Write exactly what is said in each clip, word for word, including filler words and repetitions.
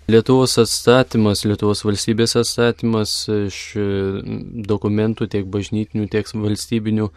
Lietuvos atstatymas, Lietuvos valstybės atstatymas iš dokumentų tiek bažnytinių, tiek valstybinių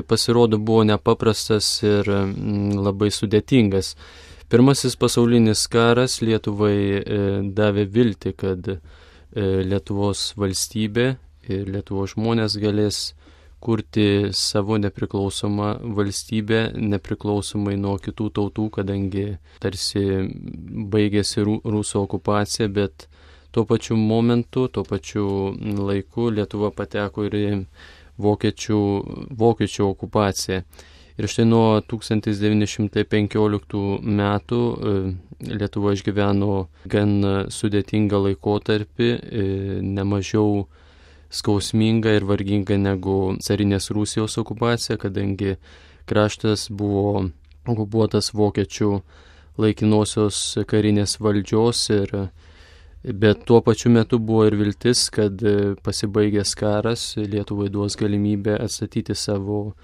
pasirodo buvo nepaprastas ir labai sudėtingas. Pirmasis pasaulinis karas Lietuvai davė viltį, kad Lietuvos valstybė ir Lietuvos žmonės galės kurti savo nepriklausomą valstybę, nepriklausomai nuo kitų tautų, kadangi tarsi baigėsi rusų okupacija, bet tuo pačiu momentu, tuo pačiu laiku Lietuva pateko ir į vokiečių, vokiečių okupaciją. Ir štai nuo tūkstantis devyni šimtai penkioliktų metų Lietuva išgyveno gan sudėtingą laikotarpį, nemažiau skausminga ir varginga negu carinės Rusijos okupacija, kadangi kraštas buvo okupuotas vokiečių laikinosios karinės valdžios, ir, bet tuo pačiu metu buvo ir viltis, kad pasibaigęs karas Lietuvai duos galimybę atstatyti savo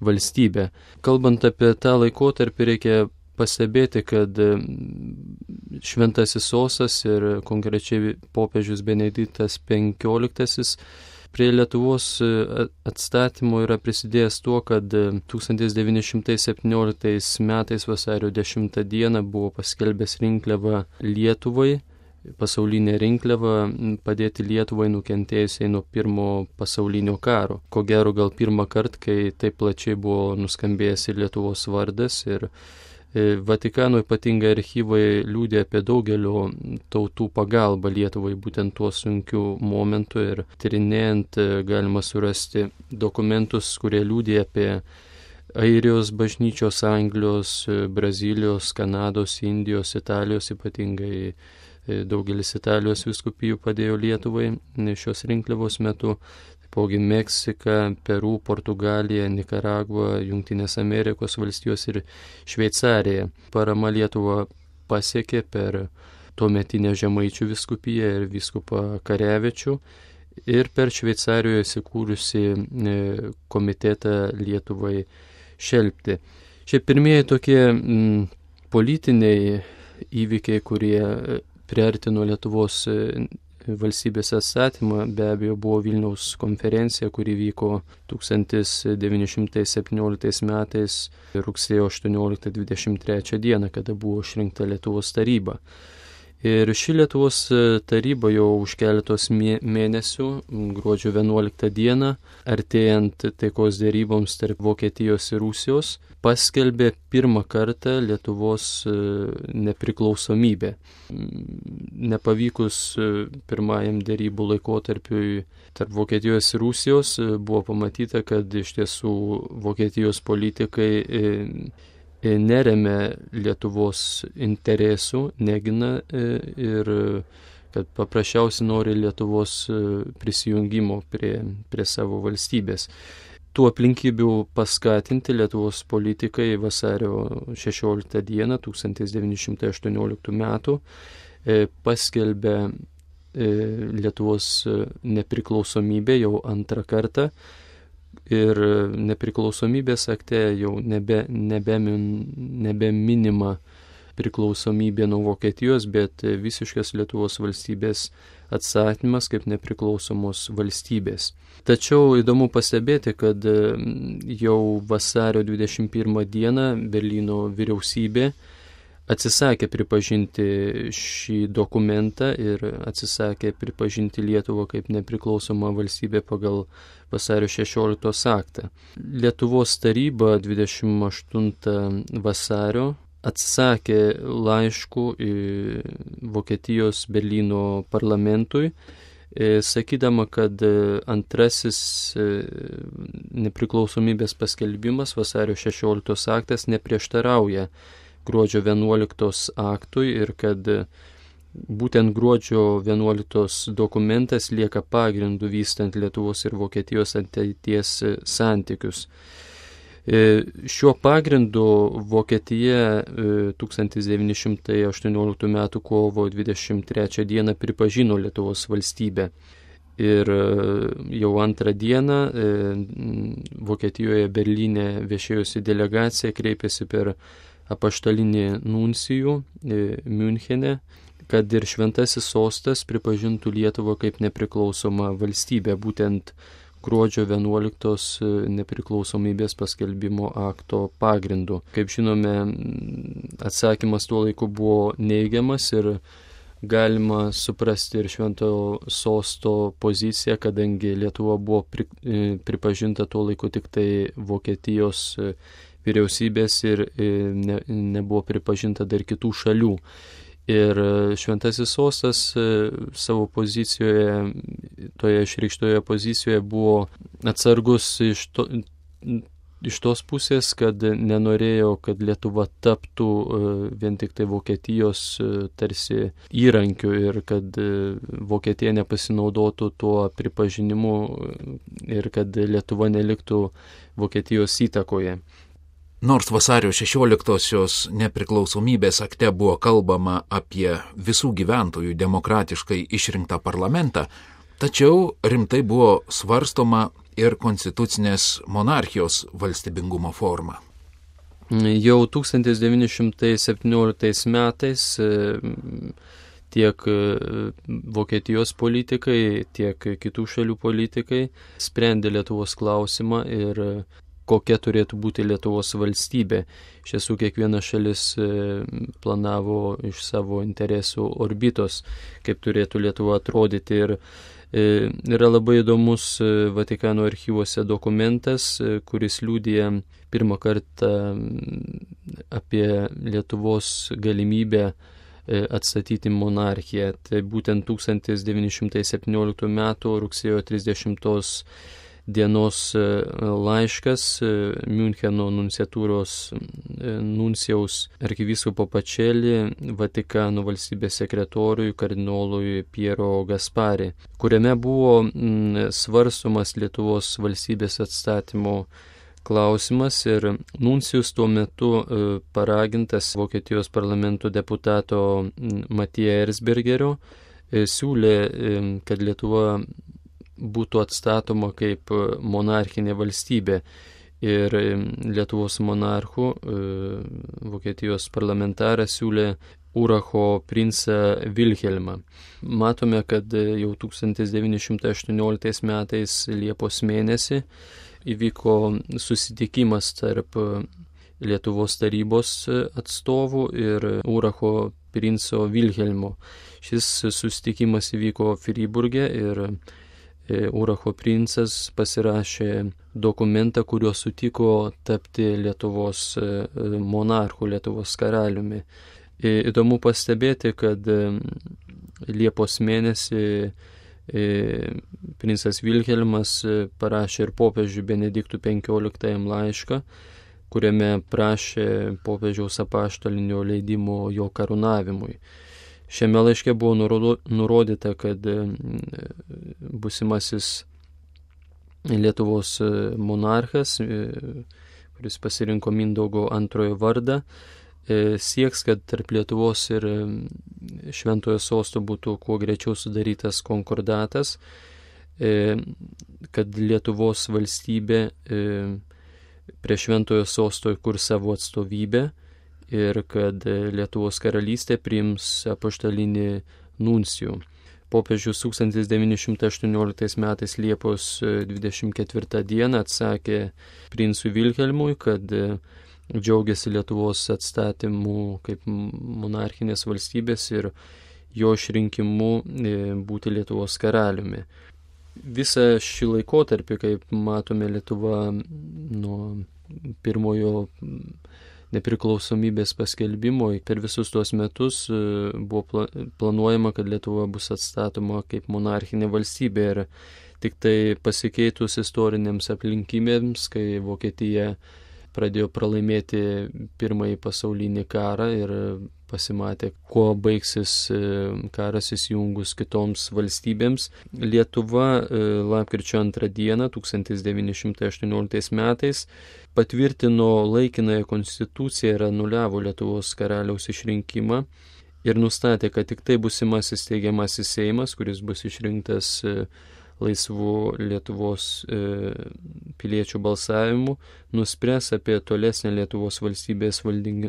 valstybę. Kalbant apie tą laikotarpį, reikia pastebėti, kad Šventasis Sostas ir konkrečiai popiežius Benediktas penkioliktasis prie Lietuvos atstatymo yra prisidėjęs tuo, kad tūkstantis devyni šimtai septynioliktais metais vasario dešimtą dieną buvo paskelbęs rinkliavą Lietuvai, pasaulinė rinkliava padėti Lietuvai nukentėjusiai nuo pirmo pasaulinio karo. Ko gero gal pirmą kartą, kai taip plačiai buvo nuskambėjęs ir Lietuvos vardas, ir Vatikano ypatingai archyvai liudija apie daugelio tautų pagalbą Lietuvai būtent tuo sunkiu momentu, ir tyrinėjant galima surasti dokumentus, kurie liudija apie Airijos bažnyčios, Anglijos, Brazilijos, Kanados, Indijos, Italijos, ypatingai daugelis Italijos vyskupijų padėjo Lietuvai šios rinkliavos metu. Taipogi Meksika, Peru, Portugalija, Nikaragva, Jungtinės Amerikos valstijos ir Šveicarija. Parama Lietuvą pasiekė per tuometinę Žemaičių vyskupiją ir vyskupą Karevičių ir per Šveicarijoje įsikūrusi komitetą Lietuvai šelpti. Šie pirmieji tokie m, politiniai įvykiai, kurie priartino Lietuvos valstybės atstatymą, be abejo buvo Vilniaus konferencija, kuri vyko tūkstantis devyni šimtai septynioliktais metais rugsėjo aštuonioliktą dvidešimt trečią dieną, kada buvo išrinkta Lietuvos taryba. Ir ši Lietuvos taryba jau už keletos mėnesių, gruodžio vienuoliktą dieną, artėjant taikos deryboms tarp Vokietijos ir Rusijos, paskelbė pirmą kartą Lietuvos nepriklausomybę. Nepavykus pirmajam derybų laikotarpiui tarp Vokietijos ir Rusijos, buvo pamatyta, kad iš tiesų Vokietijos politikai neremia Lietuvos interesų, negina ir kad paprasčiausiai nori Lietuvos prisijungimo prie, prie savo valstybės. Tų aplinkybių paskatinti Lietuvos politikai vasario šešioliktą dieną tūkstantis devyni šimtai aštuonioliktų metų paskelbė Lietuvos nepriklausomybę jau antrą kartą. Ir nepriklausomybės akte jau nebe, nebe, nebe minima priklausomybė nuo Vokietijos, bet visiškas Lietuvos valstybės atstatymas kaip nepriklausomos valstybės. Tačiau įdomu pastebėti, kad jau vasario dvidešimt pirmą dieną Berlyno vyriausybė atsisakė pripažinti šį dokumentą ir atsisakė pripažinti Lietuvą kaip nepriklausomą valstybę pagal vasario šešioliktos aktą. Lietuvos taryba dvidešimt aštuntą vasario atsisakė laiškų Vokietijos Berlyno parlamentui, sakydama, kad antrasis nepriklausomybės paskelbimas vasario šešioliktos aktas neprieštarauja gruodžio vienuoliktos aktui ir kad būtent gruodžio vienuoliktos dokumentas lieka pagrindu vystant Lietuvos ir Vokietijos ateities santykius. Šiuo pagrindu Vokietija tūkstantis devyni šimtai aštuonioliktų metų kovo dvidešimt trečią dieną pripažino Lietuvos valstybę. Ir jau antrą dieną Vokietijoje Berlyne viešėjusi delegacija kreipėsi per apaštalinį nuncijų Miunchene, kad ir šventasis sostas pripažintų Lietuvą kaip nepriklausomą valstybę, būtent gruodžio vienuoliktos nepriklausomybės paskelbimo akto pagrindu. Kaip žinome, atsakymas tuo laiku buvo neigiamas ir galima suprasti ir šventojo sosto poziciją, kadangi Lietuva buvo pri, pripažinta tuo laiku tik tai Vokietijos vyriausybės ir ne, nebuvo pripažinta dar kitų šalių. Ir šventasis sostas savo pozicijoje, toje išreikštoje pozicijoje buvo atsargus iš, to, iš tos pusės, kad nenorėjo, kad Lietuva taptų vien tik tai Vokietijos tarsi įrankiu ir kad Vokietija nepasinaudotų tuo pripažinimu ir kad Lietuva neliktų Vokietijos įtakoje. Nors vasario šešioliktosios nepriklausomybės akte buvo kalbama apie visų gyventojų demokratiškai išrinktą parlamentą, tačiau rimtai buvo svarstoma ir konstitucinės monarchijos valstybingumo forma. Jau tūkstantis devyni šimtai septynioliktais metais tiek Vokietijos politikai, tiek kitų šalių politikai sprendė Lietuvos klausimą ir kokia turėtų būti Lietuvos valstybė. Iš tiesų, kiekviena šalis planavo iš savo interesų orbitos, kaip turėtų Lietuva atrodyti. Ir yra labai įdomus Vatikano archyvuose dokumentas, kuris liudija pirmą kartą apie Lietuvos galimybę atstatyti monarchiją. Tai būtent tūkstantis devyni šimtai septynioliktų metų rugsėjo trisdešimtos dienos laiškas Miuncheno nunciatūros nuncijaus arkivyskupo Pačelį Vatikano valstybės sekretoriui kardinolui Piero Gaspari, kuriame buvo svarstomas Lietuvos valstybės atstatymo klausimas ir nuncijus tuo metu paragintas Vokietijos parlamento deputato Matija Erzbergerio siūlė, kad Lietuva būtų atstatoma kaip monarchinė valstybė ir Lietuvos monarchų Vokietijos parlamentaras siūlė Uracho princą Vilhelmą. Matome, kad jau tūkstantis devyni šimtai aštuonioliktais metais Liepos mėnesį įvyko susitikimas tarp Lietuvos tarybos atstovų ir Uracho princo Vilhelmo. Šis susitikimas įvyko Friburge ir Uracho princas pasirašė dokumentą, kuriuo sutiko tapti Lietuvos monarchu, Lietuvos karaliumi. Įdomu pastebėti, kad Liepos mėnesį princas Vilhelmas parašė ir popiežiui Benediktui penkioliktajam laišką, kuriame prašė popiežiaus apaštalinio leidimo jo karūnavimui. Šiame laiške buvo nurodyta, kad būsimasis Lietuvos monarchas, kuris pasirinko Mindaugo antrojo vardą, sieks, kad tarp Lietuvos ir Šventojo sosto būtų kuo greičiau sudarytas konkordatas, kad Lietuvos valstybė prie Šventojo sosto įkurs savo atstovybę ir kad Lietuvos karalystė priims apaštalinį nuncijų. Popiežius tūkstantis devyni šimtai aštuonioliktais metais Liepos dvidešimt ketvirtą dieną atsakė princui Vilhelmui, kad džiaugiasi Lietuvos atstatymu kaip monarchinės valstybės ir jo išrinkimu būti Lietuvos karaliumi. Visą šį laikotarpį, kaip matome, Lietuva nuo pirmojo nepriklausomybės paskelbimo per visus tuos metus buvo planuojama, kad Lietuva bus atstatoma kaip monarchinė valstybė ir tik tai pasikeitus istorinėms aplinkybėms, kai Vokietija pradėjo pralaimėti pirmąjį pasaulinį karą ir pasimatė, kuo baigsis karas įsijungus kitoms valstybėms. Lietuva lapkričio antrą dieną tūkstantis devyni šimtai aštuonioliktais metais patvirtino laikinąją konstituciją ir anuliavo Lietuvos karaliaus išrinkimą ir nustatė, kad tik tai būsimasis steigiamasis Seimas, kuris bus išrinktas laisvų Lietuvos e, piliečių balsavimų, nuspręs apie tolesnę Lietuvos valstybės valding,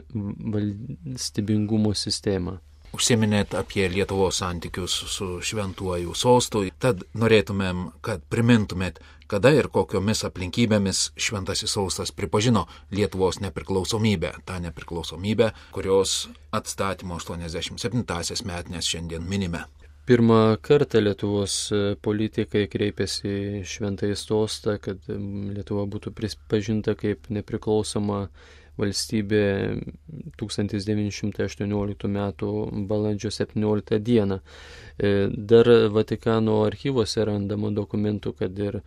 valstybingumo sistemą. Užsiminėt apie Lietuvos santykius su šventuoju sostu, tad norėtumėm, kad primintumėt, kada ir kokiomis aplinkybėmis šventasis sostas pripažino Lietuvos nepriklausomybę, tą nepriklausomybę, kurios atstatymo aštuoniasdešimt septintąsias metines šiandien minime. Pirmą kartą Lietuvos politikai kreipėsi į šventąjį sostą, kad Lietuva būtų pripažinta kaip nepriklausoma valstybė tūkstantis devyni šimtai aštuonioliktų metų balandžio septynioliktą dieną. Dar Vatikano archyvuose randama dokumentų, kad ir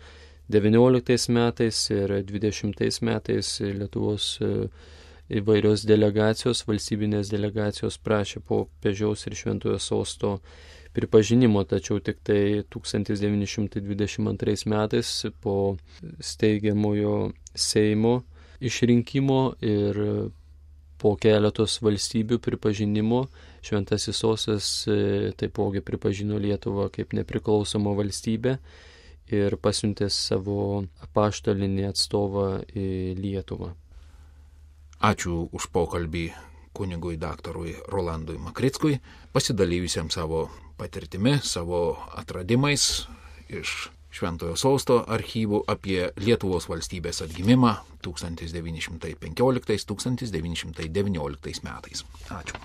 devynioliktais metais ir dvidešimtais metais Lietuvos įvairios delegacijos, valstybinės delegacijos prašė popiežiaus ir šventojo sosto pripažinimo, tačiau tik tai tūkstantis devyni šimtai dvidešimt antrais metais po steigiamojo Seimo išrinkimo ir po keletos valstybių pripažinimo šventasis sostas taipogi pripažino Lietuvą kaip nepriklausomą valstybę ir pasiuntė savo apaštalinį atstovą į Lietuvą. Ačiū už pokalbį kunigui daktarui Rolandui Makrickui, pasidalijusiam savo patirtimi, savo atradimais iš Šventojo sosto archyvų apie Lietuvos valstybės atgimimą tūkstantis devyni šimtai penkioliktais - tūkstantis devyni šimtai devynioliktais metais. Ačiū.